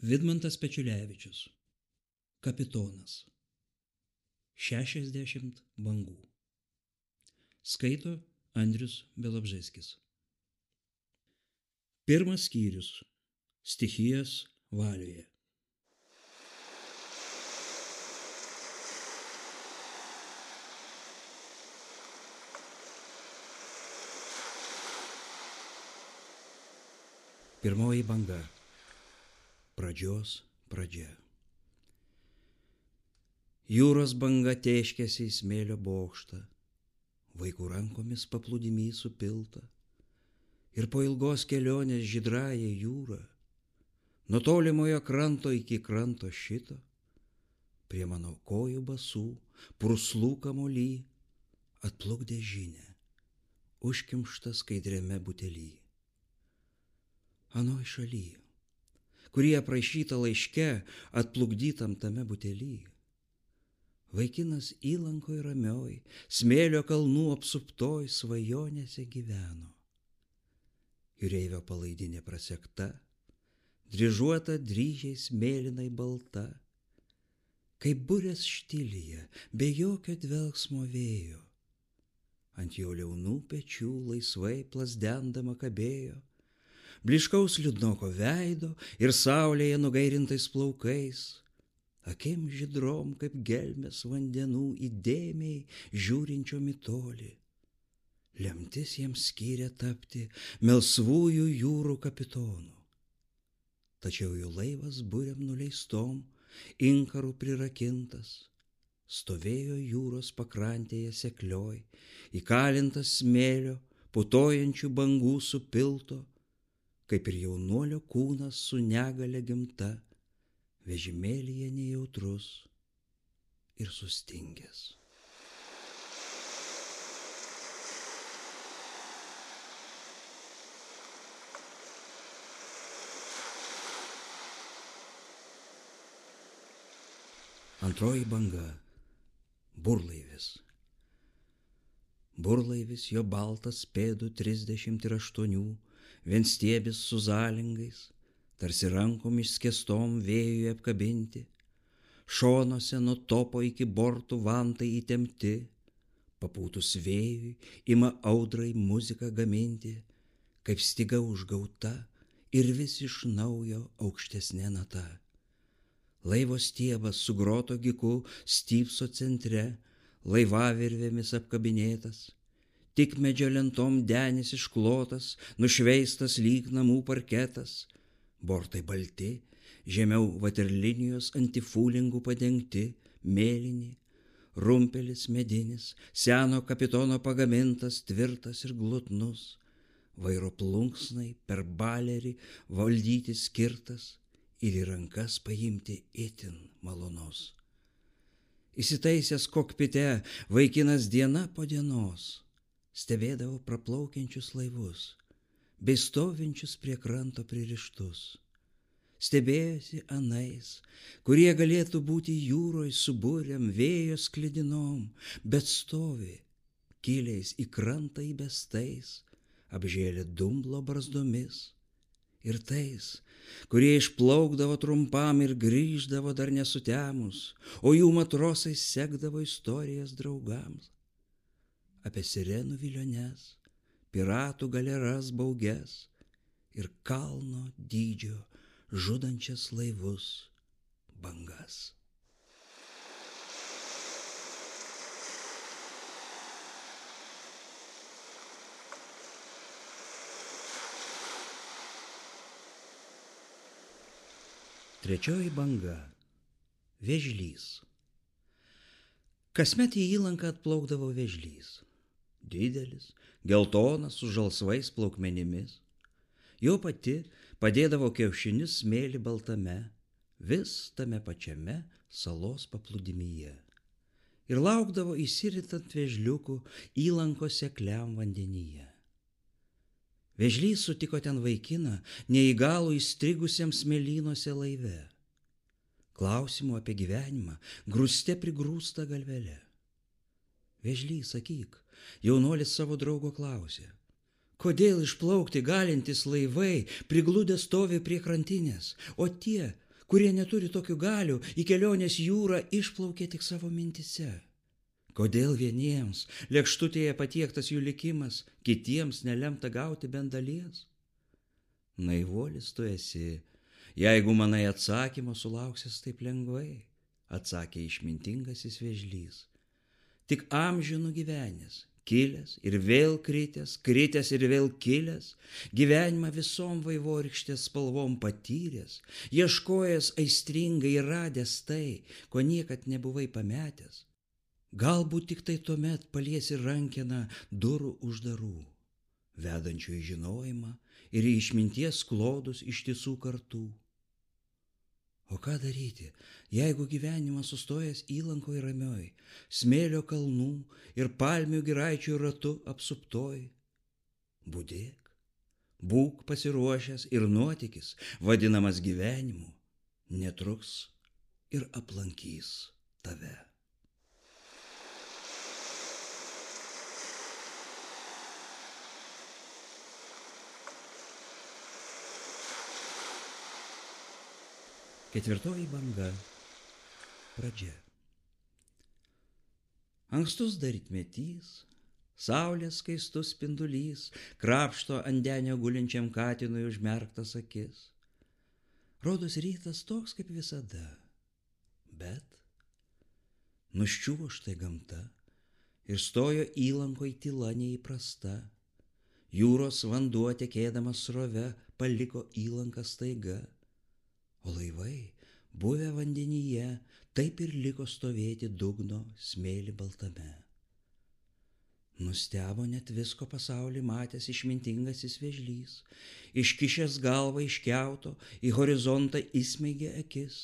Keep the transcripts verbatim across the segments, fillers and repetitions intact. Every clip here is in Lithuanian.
Vidmantas Pečiulevičius. Kapitonas. Šešiasdešimt bangų. Skaito Andrius Bialobžeskis. Pirmas skyrius. Stichijos valioje. Pirmoji banga. Pradžios pradžia. Jūros banga tėškėsi į smėlio bokštą, vaikų rankomis paplūdimy supilta, ir po ilgos kelionės žydraja jūra, nuo tolimojo kranto iki kranto šito, prie mano kojų basų, purslų kamuoly, atplukdė žinią, užkimštą skaidriame butely. Anoj šaly, kurie aprašyta laiške, atplukdytam tame butely, vaikinas įlankoj ramioj, smėlio kalnų apsuptoj svajonėse gyveno. Jūreivio palaidinė prasekta, dryžuota dryžiais mėlynai balta, kaip burės štilyje, be jokio dvelksmo vėjo. Ant jo liaunų pečių laisvai plasdendama kabėjo, bliškaus liūdnoko veido ir saulėje nugairintais plaukais, akim žydrom kaip gelmės vandenų įdėmiai žiūrinčiom į tolį. Lemtis jiems skyrė tapti melsvųjų jūrų kapitonu. Tačiau jų laivas burėm nuleistom, inkarų prirakintas, stovėjo jūros pakrantėje seklioj, įkalintas smėlio, putojančių bangų supilto, kaip ir jaunuolio kūnas su negale gimta, vežimėlyje nejautrus ir sustingęs. Antroji banga. Burlaivis. Burlaivis jo baltas pėdų trisdešimt ir aštuonių, vienstiebis su zalingais, tarsi rankom išskėstom vėjui apkabinti, šonuose nuo topo iki bortų vantai įtempti, papūtus vėjui ima audrai muziką gaminti, kaip styga užgauta ir vis iš naujo aukštesnė nata. Laivo stiebas su groto giku stypso centre, laivavirvėmis apkabinėtas, tik medžio lentom denis išklotas, nušveistas lyg namų parketas, bortai balti, žemiau vaterlinijos antifūlingų padengti, mėlyni, rumpelis medinis, seno kapitono pagamintas, tvirtas ir glotnus, vairo plunksnai per balerį valdyti skirtas ir į rankas paimti itin malonus. Įsitaisęs kokpite vaikinas diena po dienos stebėdavo praplaukiančius laivus, bei stovinčius prie kranto pririštus. Stebėjosi anais, kurie galėtų būti jūroj subūriam vėjo sklidinom, bet stovi, kiliais į krantą įbestais, apžėlė dumblo barzdomis, ir tais, kurie išplaukdavo trumpam ir grįždavo dar nesutemus, o jų matrosai sekdavo istorijas draugams. Apie sirenų viliones, piratų galeras bauges ir kalno dydžio žudančias laivus bangas. Trečioji banga. Vėžlys. Kasmet į įlanką atplaukdavo vėžlys. Didelis, geltonas su žalsvais plaukmenimis. Jo pati padėdavo kiaušinius smėlį baltame, vis tame pačiame salos paplūdimyje. Ir laukdavo įsiritant vėžliukų įlankos sekliam vandenyje. Vėžlys sutiko ten vaikiną, neįgalų įstrigusiem smėlynuose laive. Klausimų apie gyvenimą grūste prigrūsta galvele. Vėžlys, sakyk, jaunuolis savo draugo klausė, kodėl išplaukti galintys laivai prigludę stovi prie krantinės, o tie, kurie neturi tokių galių, į kelionės jūrą išplaukia tik savo mintise. Kodėl vieniems lėkštutėje patiektas jų likimas, kitiems nelemta gauti bent dalies? Naivuolis tu esi, jeigu manai atsakymo sulauksis taip lengvai, atsakė išmintingasis vėžlys. Tik amžinų gyvenęs, kilęs ir vėl kritęs, kritęs ir vėl kilęs, gyvenimą visom vaivorykštės spalvom patyręs, ieškojęs aistringai ir radęs tai, ko niekad nebuvai pametęs. Galbūt tik tai tuomet paliesi rankeną durų uždarų, vedančių į žinojimą ir į išminties klodus ištisų kartų. O ką daryti, jeigu gyvenimas sustojęs įlankoj ramioj, smėlio kalnų ir palmių giraičių ratu apsuptoj? Budėk, būk pasiruošęs ir nuotykis, vadinamas gyvenimu, netruks ir aplankys tave. Ketvirtoji banga. Pradžia. Ankstus dar rytmetys, saulės skaistus spindulys krapšto ant denio gulinčiam katinui užmerktas akis. Rodos rytas toks kaip visada, bet nuščiuvo štai gamta ir stojo įlankoj tyla neįprasta. Jūros vanduo tekėdamas srove paliko įlanką staiga. O laivai, buvę vandenyje, taip ir liko stovėti dugno smėlį baltame. Nustebo net visko pasaulį matęs išmintingasis vėžlys, iškišęs galvą iš kiauto, į horizontą įsmeigė akis.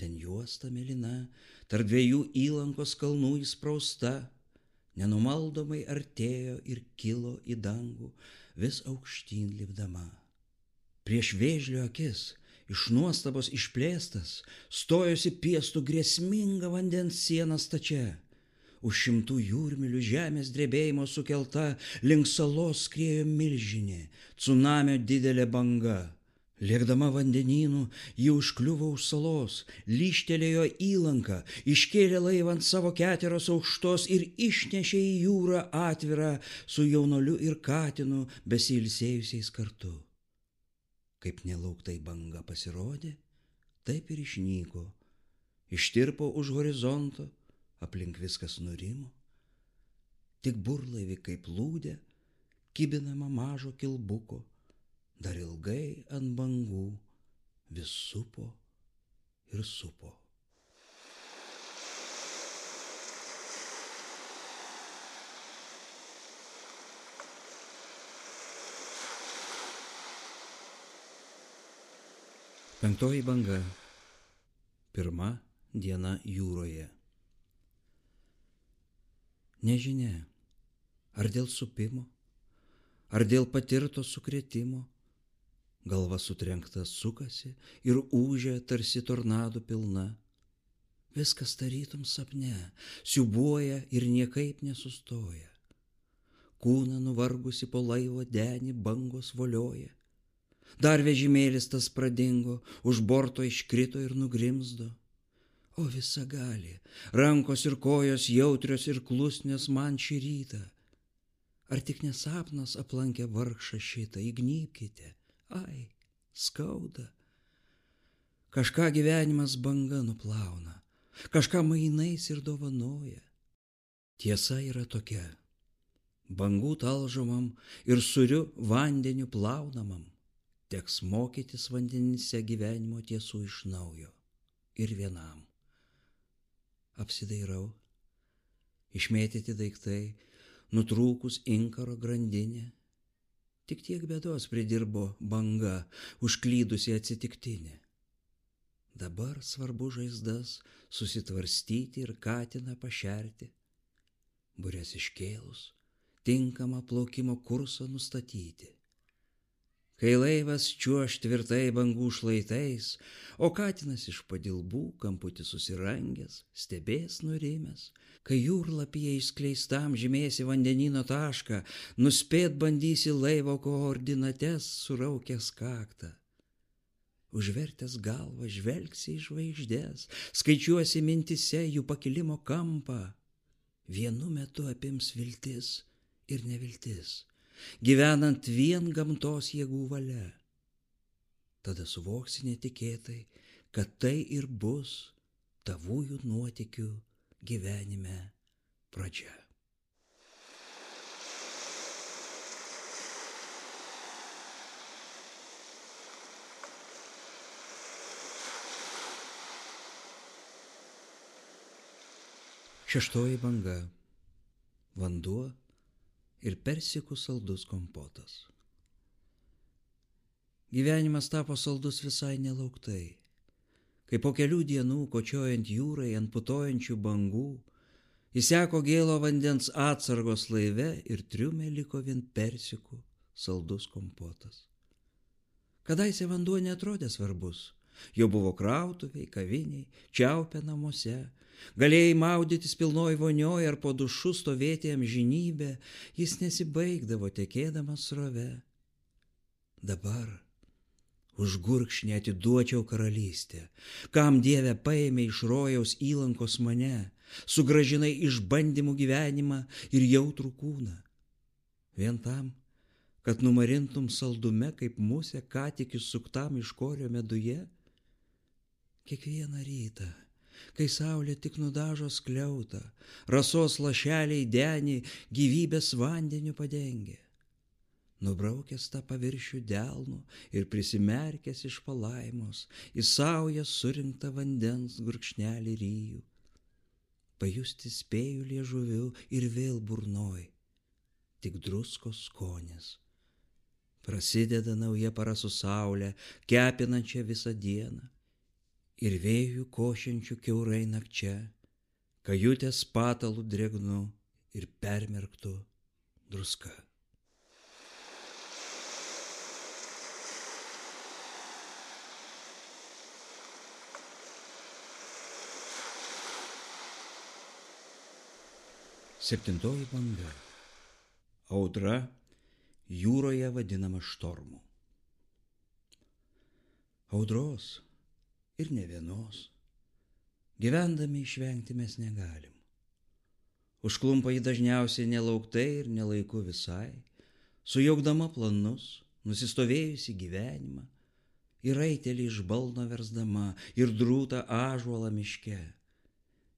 Ten juosta mėlyna, tarp dviejų įlankos kalnų įsprausta, nenumaldomai artėjo ir kilo į dangų, vis aukštyn lipdama. Prieš vėžlio akis, iš nuostabos išplėstas, stojosi piestų grėsminga vandens siena stačia. Už šimtų jūrmilių žemės drebėjimo sukelta, link salos skriejo milžinė, cunamio didelė banga. Lėkdama vandenynų, ji užkliuvo už salos, lyžtelėjo įlanką, iškėlė laivą ant savo keteros aukštos ir išnešė į jūrą atvirą su jaunoliu ir katinu besiilsėjusiais kartu. Kaip nelauktai banga pasirodė, taip ir išnyko, ištirpo už horizonto, aplink viskas nurimo. Tik burlaivį kaip plūdė, kibinama mažo kilbuko, dar ilgai ant bangų vis supo ir supo. Penktoji banga. Pirma diena jūroje. Nežinia, ar dėl supimo, ar dėl patirto sukrėtimo, galva sutrenkta sukasi ir ūžia tarsi tornadų pilna. Viskas tarytum sapne, siūbuoja ir niekaip nesustoja. Kūną nuvargusi po laivo denį bangos volioja. Dar vežimėlis tas pradingo, už borto iškrito ir nugrimzdo. O visagali, rankos ir kojos jautrios ir klusnios man šį rytą. Ar tik nesapnas aplankė vargšą šitą, įgnybkite, ai, skauda. Kažką gyvenimas banga nuplauna, kažką mainais ir dovanoja. Tiesa yra tokia, bangų talžomam ir suriu vandeniu plaunamam teks mokytis vandenyse gyvenimo tiesų iš naujo ir vienam. Apsidairau, išmėtyti daiktai, nutrūkus inkaro grandinė. Tik tiek bėdos pridirbo banga, užklydusi atsitiktinė. Dabar svarbu žaizdas susitvarstyti ir katiną pašerti, bures iškėlus, tinkamą plaukimo kursą nustatyti. Kai laivas čiuoš tvirtai bangų šlaitais, o katinas iš padilbų kamputį susirangęs, stebės nurimęs, kai jūrlapyje išskleistam žymėsi vandenyno tašką, nuspėt bandysi laivo koordinates suraukęs kaktą. užvertęs galvą žvelgsi į žvaigždės, skaičiuosi mintise jų pakilimo kampą. Vienu metu apims viltis ir neviltis, gyvenant vien gamtos jėgų valia. Tada suvoksi netikėtai, kad tai ir bus tavųjų nuotykių gyvenime pradžia. Šeštoji banga. Vanduo ir persikų saldus kompotas. Gyvenimas tapo saldus visai nelauktai. Kai po kelių dienų, kočiojant jūrai ant putojančių bangų, įseko gėlo vandens atsargos laive ir triume liko vien persikų saldus kompotas. Kadaise vanduo neatrodė svarbus. Jo buvo krautuviai, kaviniai, čiaupė namuose. Galėjai maudytis pilnoj vonioj ar po dušu stovėti amžinybę, jis nesibaigdavo tekėdamas srove. Dabar už gurkšnį atiduočiau karalystę, kam Dieve paėmė iš rojaus įlankos mane, sugrąžinai išbandymų gyvenimą ir jautrų kūną. Vien tam, kad numarintum saldume kaip musė ką tik įsuktam iš korio meduje. Kiekvieną rytą, kai saulė tik nudažo skliautą, rasos lašeliai denį gyvybės vandeniu padengia. Nubraukęs tą paviršių delnu ir prisimerkęs iš palaimos, į saują surinktą vandens gurkšnelį ryjų. Pajusti spėju liežuviu ir vėl burnoj, tik druskos skonis. Prasideda nauja para su saulė, kepinančia visą dieną. Ir vėjų košiančių kiaurai nakčia, kajutės patalų drėgnu ir permerktu druska. Septintoji banga. Audra jūroje vadinama štormu. Audros ir ne vienos gyvendami išvengti mes negalim. Užklumpa jį dažniausiai nelauktai ir nelaiku visai, sujaukdama planus, nusistovėjusi gyvenimą, ir raitelį iš balno versdama, ir drūtą ąžuolą miške.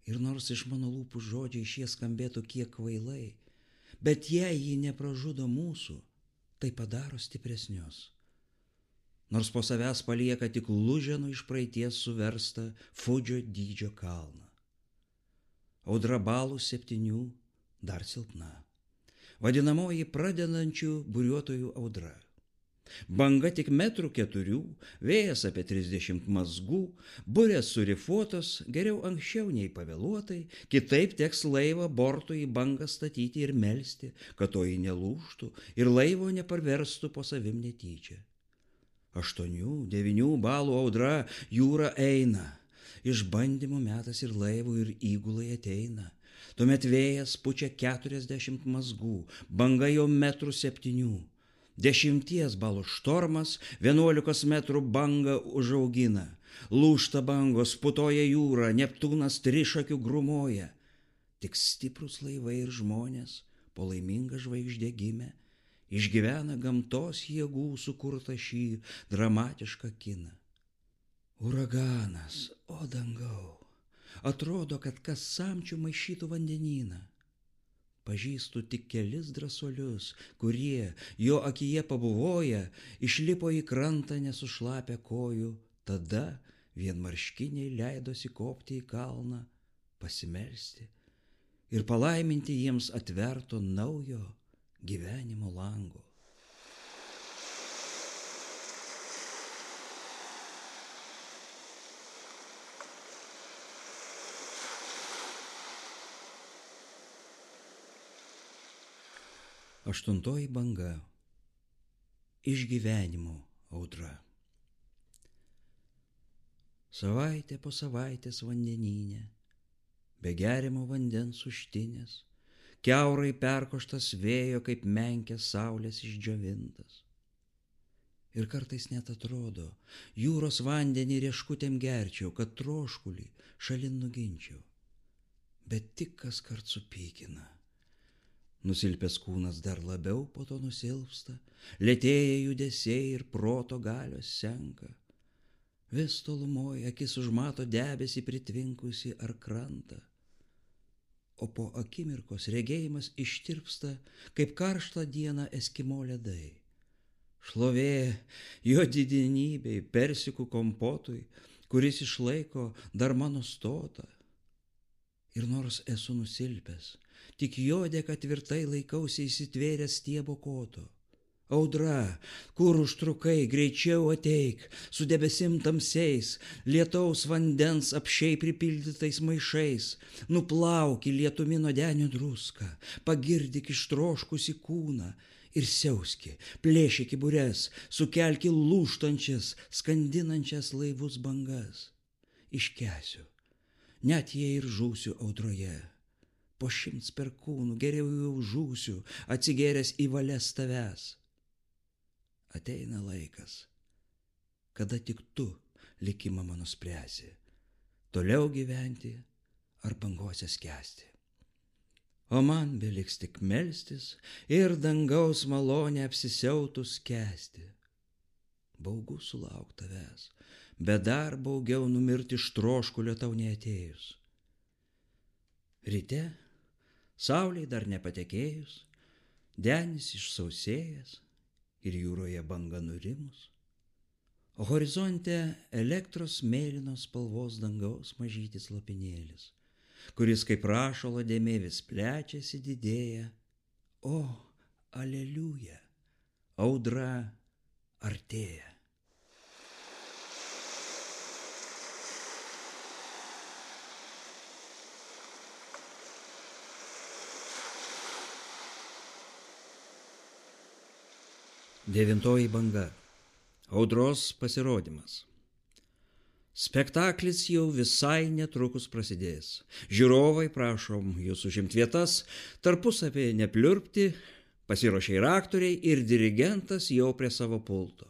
Ir nors iš mano lūpų žodžiai šie skambėtų kiek kvailai, bet jei jį nepražudo mūsų, tai padaro stipresnius. Nors po savęs palieka tik luženų iš praeities suverstą Fudžio dydžio kalną. Audra balų septynių dar silpna. Vadinamoji pradedančių buriuotojų audra. Banga tik metrų keturių, vėjas apie trisdešimt mazgų, burės surifuotos, geriau anksčiau nei pavėluotai, kitaip teks laivą bortų į bangą statyti ir melsti, kad to jį nelūžtų ir laivo neparverstų po savim netyčia. Aštuonių, devynių balų audra jūra eina, išbandymų metas ir laivų ir įgulai ateina. Tuomet vėjas pučia keturiasdešimt mazgų, banga jau metrų septynių. Dešimties balų štormas vienuolikos metrų bangą užaugina. Lūžta bangos, putoja jūra, Neptūnas trišakių grumoja. Tik stiprus laivai ir žmonės, po laimingą žvaigždę gimę, išgyvena gamtos jėgų sukurtą šį dramatišką kiną. Uraganas, o dangau, atrodo, kad kas samčių maišytų vandenyną. Pažįstu tik kelis drąsuolius, kurie, jo akyje pabuvoję, išlipo į krantą nesušlapę kojų, tada vienmarškiniai leidosi kopti į kalną, pasimelsti ir palaiminti jiems atverto naujo gyvenimo lango. Aštuntoji banga. Išgyvenimo audra. Savaitė po savaitės vandenyne, be geriamo vandens užtinės, kiaurai perkoštas vėjo kaip menkės saulės išdžiovintas. Ir kartais net atrodo, jūros vandenį rieškutėm gerčiau, kad troškulį šalin nuginčiau. Bet tik kas kart supykina. Nusilpęs kūnas dar labiau po to nusilpsta, lėtėja judesiai ir proto galios senka. Vis tolumoje akis užmato debesį pritvinkusi ar krantą. O po akimirkos regėjimas ištirpsta, kaip karštą dieną eskimo ledai. Šlovė jo didenybei, persikų kompotui, kuris išlaiko dar mano stotą. Ir nors esu nusilpęs, tik jo dėka tvirtai laikausi įsitvėręs stiebo koto. Audra, kur užtrukai, greičiau ateik, su debesim tamsiais, lietaus vandens apšiai pripildytais maišais, nuplauki lietumi nuodenio druską, pagirdyk ištroškusi kūną ir siauski, plėšyki bures, sukelki lūžtančias, skandinančias laivus bangas. Iškęsiu, net jei ir žūsiu audroje. Po šimts perkūnų geriau jau žūsiu, atsigėręs į valias tavęs. Ateina laikas, kada tik tu likimą mano spręsi, toliau gyventi ar bangose skęsti. O man beliks tik melstis ir dangaus malonę apsisiautus kęsti. Baugu sulauk tavęs, bet dar baugiau numirti iš troškulio tau neatėjus. Ryte, saulei dar nepatekėjus, denis išsausėjęs ir jūroje banga nurimus, o horizonte elektros mėlynos spalvos dangaus mažytis lopinėlis, kuris kaip rašalo dėmė vis plečiasi didėja. O, aleliuja, audra artėja. Devintoji banga. Audros pasirodymas. Spektaklis jau visai netrukus prasidės. Žiūrovai, prašom jūs užimti vietas, tarpusavį nepliurpti, pasiruošė ir aktoriai, ir dirigentas jau prie savo pulto.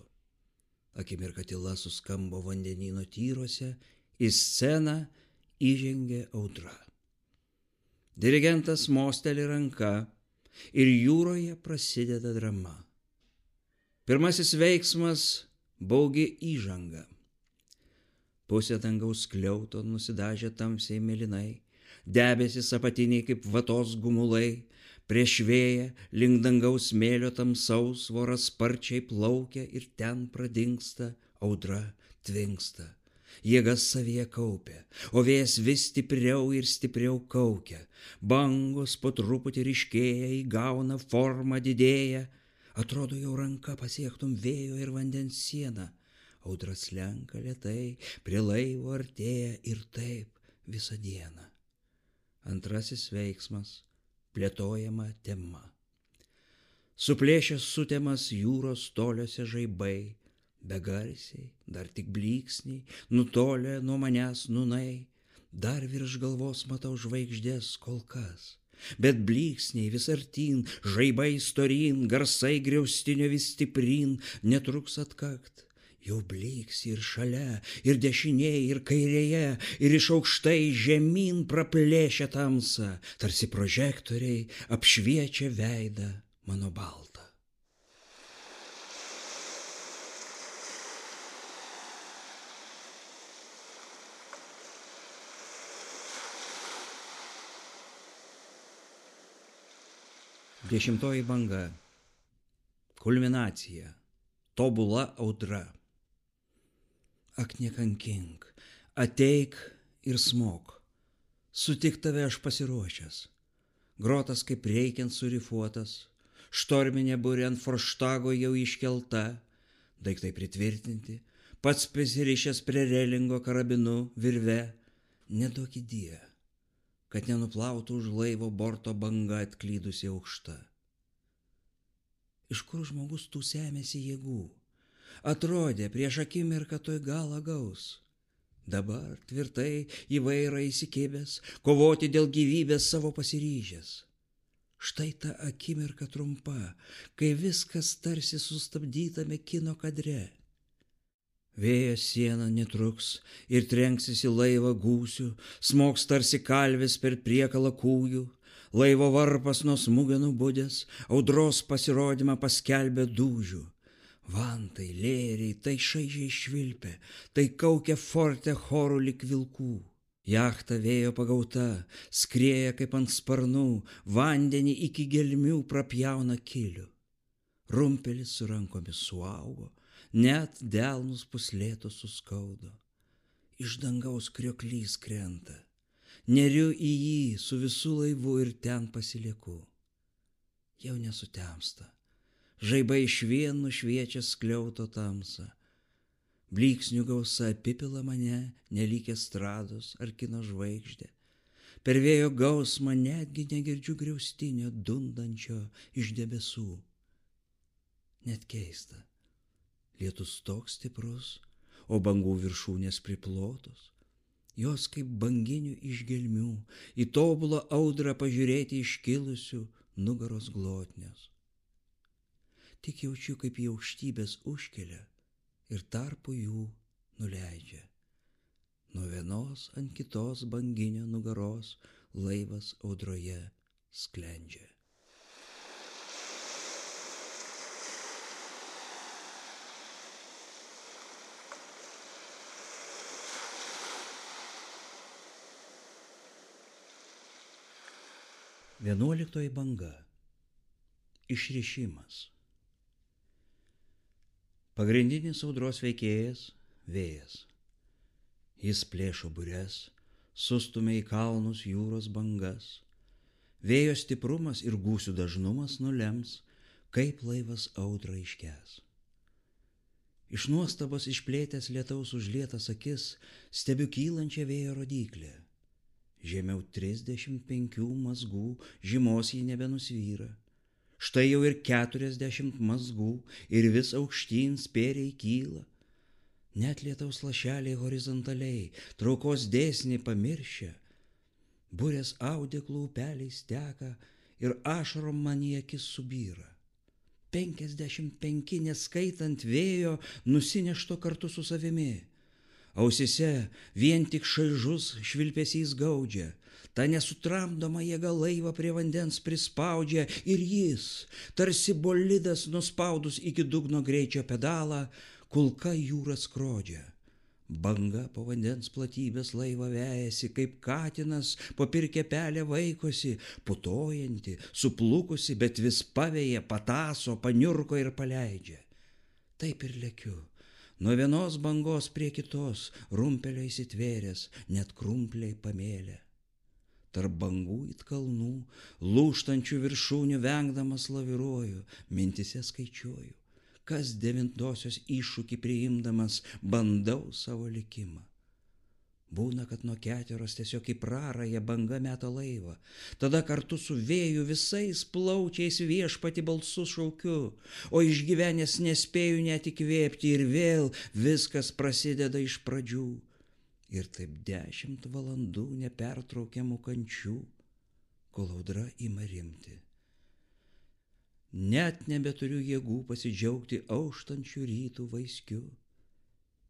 Akimirka tyla suskambo vandenyno tyruose, į sceną įžengė audra. Dirigentas mosteli ranka ir jūroje prasideda drama. Pirmasis veiksmas – baugi įžanga. Pusė dangaus skliauto nusidažė tamsiai mėlynai, debesys apatiniai kaip vatos gumulai, prieš vėją link dangaus smėlio tamsaus voras sparčiai plaukia ir ten pradingsta, audra tvinksta. Jėgas savyje kaupia, o vėjas vis stipriau ir stipriau kaukia. Bangos po truputį ryškėja, įgauna formą, didėja. Atrodo, jau ranka pasiektum vėjo ir vandens sieną. Audra slenka lėtai, prie laivo artėja ir taip visą dieną. Antrasis veiksmas – plėtojama tema. Suplėšęs sutemas jūros toliuose žaibai, begarsiai, dar tik blyksniai, nutolę nuo manęs nūnai, dar virš galvos matau žvaigždės kol kas. Bet blyksniai vis artyn, žaibai storyn, garsai griaustinio vis stipryn, netruks atkakt. Jau blyksi ir šalia, ir dešinėje, ir kairėje, ir iš aukštai žemyn praplėšia tamsą, tarsi prožektoriai apšviečia veidą mano baltą. Dešimtoji banga. Kulminacija. Tobula audra. Ak, nekankink, ateik ir smok. Sutik tave aš pasiruošęs. Grotas kaip reikiant surifuotas, štorminė burė ant forštago jau iškelta, daiktai pritvirtinti, pats prisirišęs prie relingo karabinu virve, neduok įdie, kad nenuplautų už laivo borto banga atklydusi aukšta. Iš kur žmogus tų semiasi jėgų? Atrodė, prieš akimirką toj galą gaus. Dabar tvirtai į vairą įsikibęs, kovoti dėl gyvybės savo pasiryžęs. Štai ta akimirka trumpa, kai viskas tarsi sustabdytame kino kadre. Vėjas siena netruks ir trenksis į laivą gūsių, smogs tarsi kalvis per priekalą kūjų, laivo varpas nuo smūgio nubudęs, audros pasirodymą paskelbė dūžių. Vantai, lėriai, tai šaižiai švilpia, tai kaukia forte chorų lik vilkų. Jachta vėjo pagauta, skrieja kaip ant sparnų, vandenį iki gelmių prapjauna kilių. Rumpelis su rankomis suaugo, net delnus puslėtos suskaudo. Iš dangaus krioklys krenta, neriu į jį su visų laivu ir ten pasilieku. Jau nesutemsta, žaibai išvien nušviečia skliauto tamsą. Blyksnių gausa apipila mane, nelyg estrados ar kino žvaigždė. Per vėjo gausmą netgi negirdžiu griaustinio dundančio iš debesų. Net keista, lietus toks stiprus, o bangų viršūnės priplotos. Jos kaip banginių iš gelmių, į tobulą audrą pažiūrėti iškilusių nugaros glotnios. Tik jaučiu, kaip į aukštybės užkelia ir tarpu jų nuleidžia. Nuo vienos ant kitos banginio nugaros laivas audroje sklendžia. Vienuoliktoji banga. Išrišimas. Pagrindinis audros veikėjas – vėjas. Jis plėšo bures, sustumia į kalnus jūros bangas. Vėjo stiprumas ir gūsių dažnumas nulems, kaip laivas audrą iškęs. Iš nuostabos išplėtęs lietaus užlietas akis, stebiu kylančią vėjo rodyklę. Žemiau trisdešimt penkių mazgų žymos jį nebenusvyra. Štai jau ir keturiasdešimt mazgų ir vis aukštyn spėriai kyla. Net lietaus lašeliai horizontaliai, traukos dėsnį pamiršę. Burės audeklų upeliais teka ir ašarom man į akis subyra. Penkiasdešimt penki, neskaitant vėjo, nusinešto kartu su savimi. Ausise vien tik šaižus švilpesys gaudžia. Ta nesutramdoma jėga laivą prie vandens prispaudžia ir jis, tarsi bolidas nuspaudus iki dugno greičio pedalą, kulka jūrą skrodžia. Banga po vandens platybės laivą vejasi, kaip katinas po pirkę pelę vaikosi, putojanti, suplukusi, bet vis paveja, pataso, paniurko ir paleidžia. Taip ir lekiu. Nuo vienos bangos prie kitos, rumpelio įsitvėręs, net krumpliai pamėlė. Tarp bangų it kalnų, lūžtančių viršūnių vengdamas laviruoju, mintise skaičiuoju, kas devintosios iššūkį priimdamas bandau savo likimą. Būna, kad nuo keteros tiesiog į prarąją banga meta laivą, tada kartu su vėju visais plaučiais viešpati balsu šaukiu, o išgyvenęs nespėju net įkvėpti ir vėl viskas prasideda iš pradžių. Ir taip dešimt valandų nepertraukiamų kančių, kol audra ima rimti. Net nebeturiu jėgų pasidžiaugti auštančių rytų vaiskiu.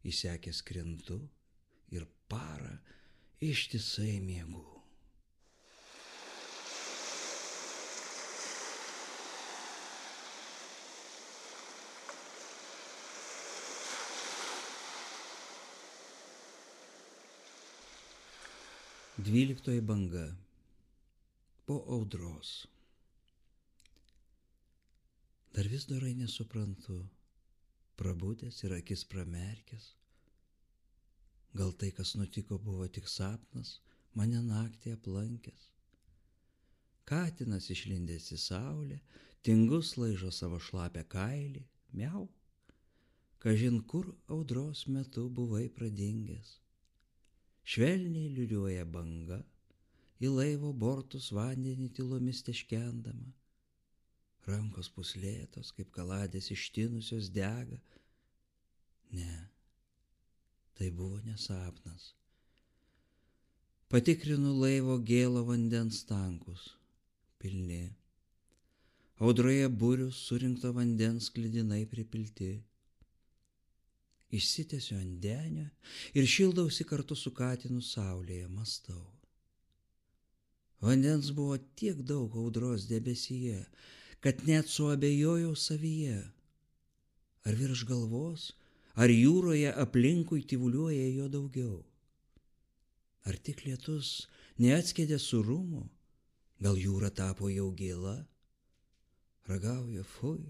Įsekęs krintu ir parą ištisai miegu. Dvyliktoji banga. Po audros. Dar vis dorai nesuprantu, prabudęs ir akis pramerkęs. Gal tai, kas nutiko, buvo tik sapnas, mane naktį aplankęs. Katinas išlindęs į saulę, tingus laižo savo šlapę kailį, miau. Kažin kur audros metu buvai pradingęs. Švelniai liūliuoja banga, į laivo bortus vandenį tylomis teškendama. Rankos puslėtos, kaip kaladės ištinusios dega. Ne, tai buvo ne sapnas. Patikrinu laivo gėlo vandens tankus, pilni. audroje burius surinkto vandens sklidinai pripilti. Išsitęsiu ant denio ir šildausi kartu su katinu saulėje, mąstau. Vandens buvo tiek daug audros debesyje, kad net suabejojau savyje. Ar virš galvos, ar jūroje aplinkui tyvuliuoja jo daugiau? Ar tik lietus neatskėdė surumo, gal jūra tapo jau gėla? Ragauja, fui,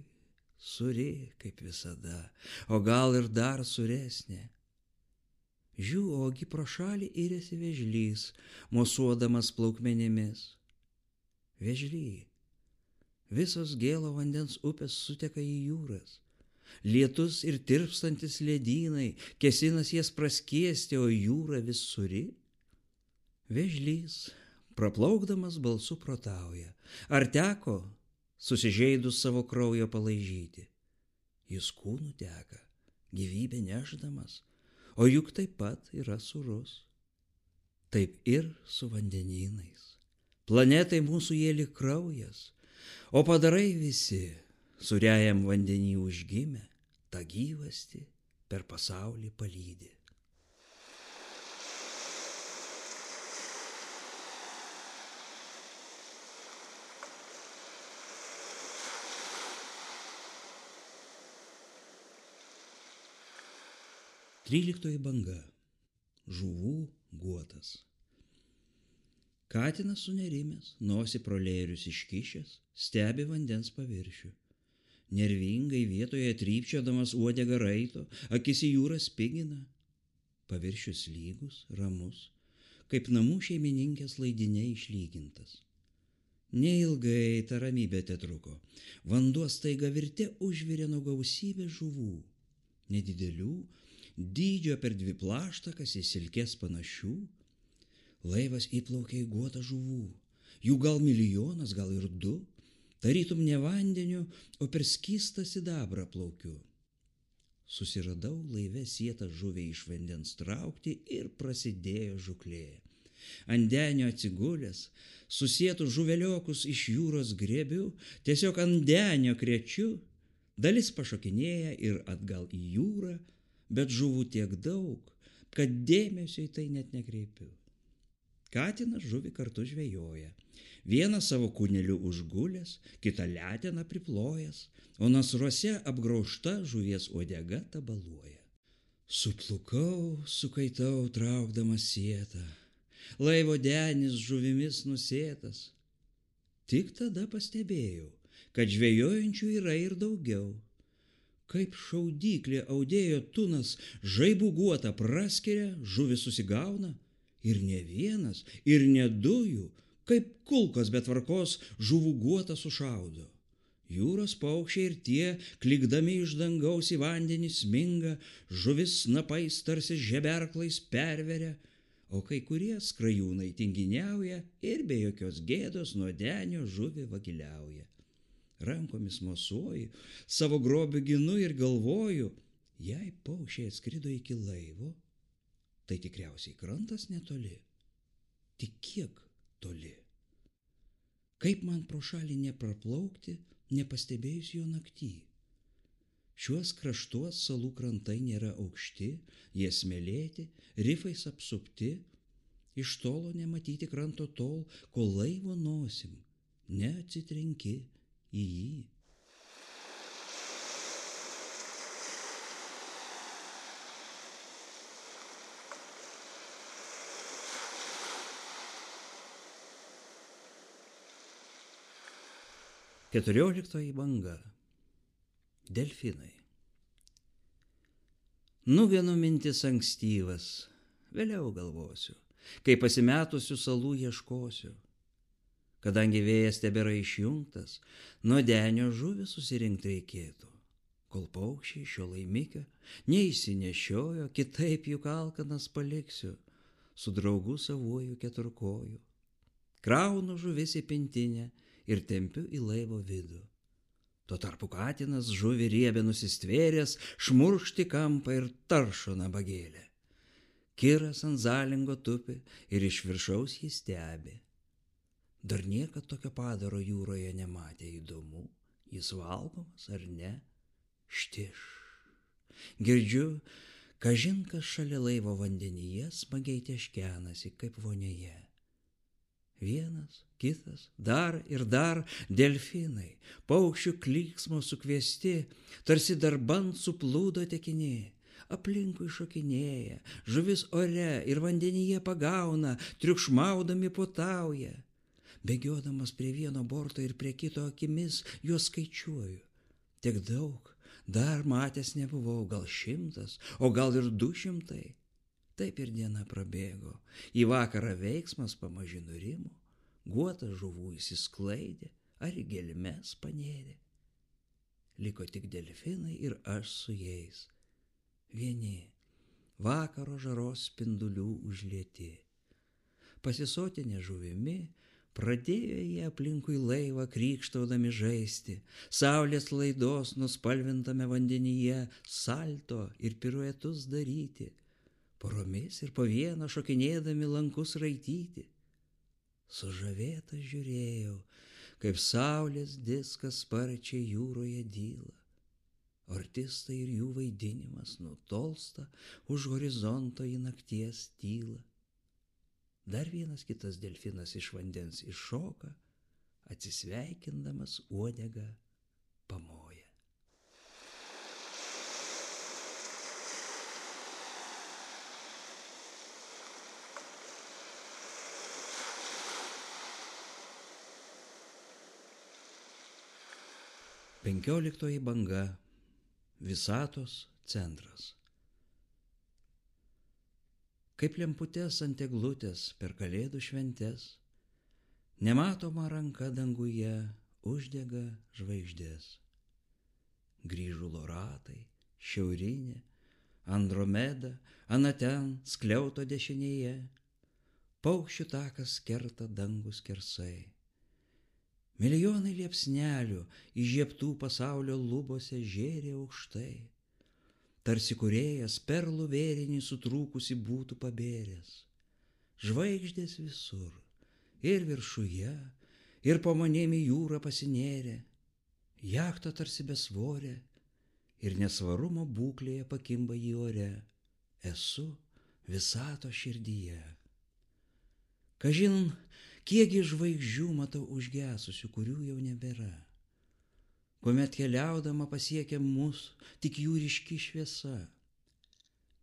suri kaip visada, o gal ir dar suresnė. Žiū, ogi pro šalį iriasi vėžlys, mosuodamas plaukmenimis. Vėžly, visos gėlo vandens upės suteka į jūras. Lietus ir tirpstantis ledynai, kesinas jas praskiesti, o jūra vis suri. Vėžlys, praplaukdamas balsu protauja, ar teko susižeidus savo kraujo palaižyti? Jis kūnu teka, gyvybę nešdamas, o juk taip pat yra sūrus. Taip ir su vandenynais. Planetai mūsų jie lyg kraujas, o padarai visi sūriajam vandenį užgimę, tą gyvastį per pasaulį palydi. Tryliktoji banga. Žuvų guotas. Katinas sunerimęs, nosį pro lėrius iškišęs, stebi vandens paviršių. Nervingai vietoje trypčiodamas uodegą raito, akis į jūrą spigina. Paviršius lygus, ramus, kaip namų šeimininkės laidiniai išlygintas. Neilgai ta ramybė tetruko. Vanduo staiga virte užvirė nuo gausybės žuvų. Nedidelių, dydžio per dvi plaštakas į silkės panašių. Laivas įplaukė į guotą žuvų. Jų gal milijonas, gal ir du. Tarytum ne vandeniu, o per skystą sidabrą plaukiu. Susiradau laive sietą žuvį iš vandens traukti ir prasidėjo žuklė. Ant denio atsigulęs, susietų žuveliokus iš jūros griebiu, tiesiog ant denio krečiu. Dalis pašokinėja ir atgal į jūrą, bet žuvų tiek daug, kad dėmesio į tai net nekreipiu. Katinas žuvį kartu žvejoja. Vieną savo kūneliu užgulęs, kitą leteną priplojęs, o nasruose apgraužta žuvies uodega tabaluoja. Suplukau, sukaitau, traukdamas sietą. Laivo denis žuvimis nusėtas. Tik tada pastebėjau, kad žvejojančių yra ir daugiau. Kaip šaudyklė audėjo tunas žaibų guotą praskiria, žuvis susigauna. Ir ne vienas, ir ne dujų, kaip kulkos be tvarkos žuvų guotą sušaudo. Jūros paukščiai ir tie, klikdami iš dangaus į vandenį sminga, žuvis snapais tarsi žeberklais perveria, o kai kurie skrajūnai tinginiauja ir be jokios gėdos nuo denio žuvį vagiliauja. Rankomis mosuoju, savo grobių ginu ir galvoju, jei paukščiai atskrido iki laivo, tai tikriausiai krantas netoli. Tik kiek toli? Kaip man pro šalį nepraplaukti, nepastebėjus jo naktį? Šiuos kraštuos salų krantai nėra aukšti, jie smėlėti, rifais apsupti, iš tolo nematyti kranto tol, kol laivo nosim neatsitrenki į jį. Keturioliktoji banga. Delfinai. Nugenu mintis ankstyvas, vėliau galvosiu, kai pasimetusių salų ieškosiu. Kadangi vėjas tebėra išjungtas, nuo denio žuvį susirinkti reikėtų. Kol paukščiai šio laimikio neišsinešiojo, kitaip juk alkanas paliksiu, su draugu savuoju keturkoju. Kraunu žuvis į pintinę ir tempiu į laivo vidų. Tuo tarpu katinas žuvį riebę nusistvėręs, šmurkšti kampą ir taršo nabagėlę. Kiras ant zalingo tupi ir iš viršaus jį stebi. Dar niekad tokio padaro jūroje nematė, įdomu, Jis valgomas ar ne? Štiš. Girdžiu, kažin kas šalia laivo vandenyje smagiai teškenasi kaip vonioje. Vienas, kitas, dar ir dar delfinai, paukščių klyksmo sukviesti, tarsi darbant suplūdo tekiniai. Aplinkui šokinėja, žuvis ore ir vandenyje pagauna, triukšmaudami puotauja. Bėgiodamas prie vieno borto ir prie kito akimis juos skaičiuoju. Tiek daug, dar matęs nebuvau, gal šimtas, o gal ir du šimtai. Taip ir diena prabėgo, į vakarą veiksmas pamaži nurimo, guotas žuvų įsisklaidė, ar į gelmes panėrė. Liko tik delfinai ir aš su jais. Vieni, vakaro žaros spindulių užlieti. Pasisotinę žuvimi, pradėjo jie aplinkui laivą krykštaudami žaisti, saulės laidos nuspalvintame vandenyje salto ir piruetus daryti, poromis ir po vieną šokinėdami lankus raityti. Sužavėtas žiūrėjau, kaip saulės diskas sparčiai jūroje dyla. Artistai ir jų vaidinimas nutolsta už horizonto į nakties tylą. Dar vienas kitas delfinas iš vandens iššoka, atsisveikindamas uodegą pamoja. Penkioliktoji banga. Visatos centras. Kaip lemputės ant eglutės per kalėdų šventes, nematoma ranka danguje uždega žvaigždės. Grįžulo ratai, šiaurinė, Andromeda, anaten skliauto dešinėje, paukščių takas kerta dangų skersai. Milijonai liepsnelių įžiebtų pasaulio lubose žėrė aukštai. Tarsi kūrėjas perlų vėrinį sutrūkusi būtų pabėręs. Žvaigždės visur, ir viršuje, ir po manim į jūrą pasinėrė. Jachta tarsi besvorė, ir nesvarumo būklėje pakimba į ore. Esu visatos širdyje. Kažin, kiekgi žvaigždžių matau užgesusių, kurių jau nebėra. Kuomet keliaudama pasiekia mus tik jų ryški šviesa.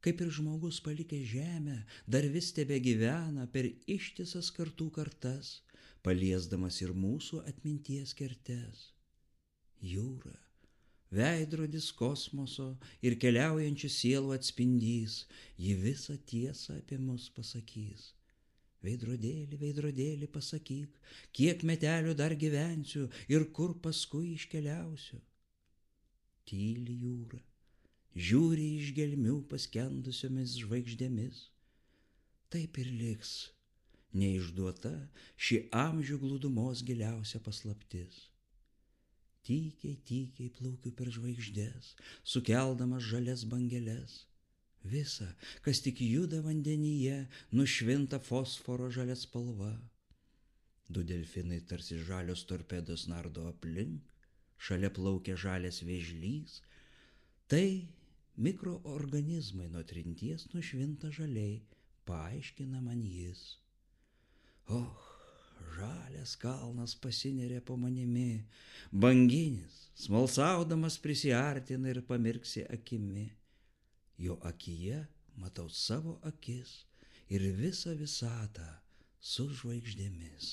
Kaip ir žmogus palikęs žemę, dar vis tebegyvena per ištisas kartų kartas, paliesdamas ir mūsų atminties kertes. Jūra, veidrodis kosmoso ir keliaujančių sielų atspindys, ji visą tiesą apie mus pasakys. Veidrodėlį, veidrodėlį pasakyk, kiek metelių dar gyvensiu ir kur paskui iškeliausiu. Tyli jūra, žiūri iš gelmių paskendusiomis žvaigždėmis. Taip ir liks neišduota ši amžių glūdumos giliausia paslaptis. Tykiai, tykiai plaukiu per žvaigždės, sukeldamas žalias bangeles. Visa, kas tik juda vandenyje, nušvinta fosforo žalia spalva. Du delfinai tarsi žalios torpedos nardo aplink, šalia plaukia žalias vėžlys. Tai mikroorganizmai nuo trinties nušvinta žaliai, paaiškina man jis. Och, žalias kalnas pasineria po manimi, banginis, smalsaudamas prisiartina ir pamirksi akimi. Jo akyje matau savo akis ir visą visatą su žvaigždėmis.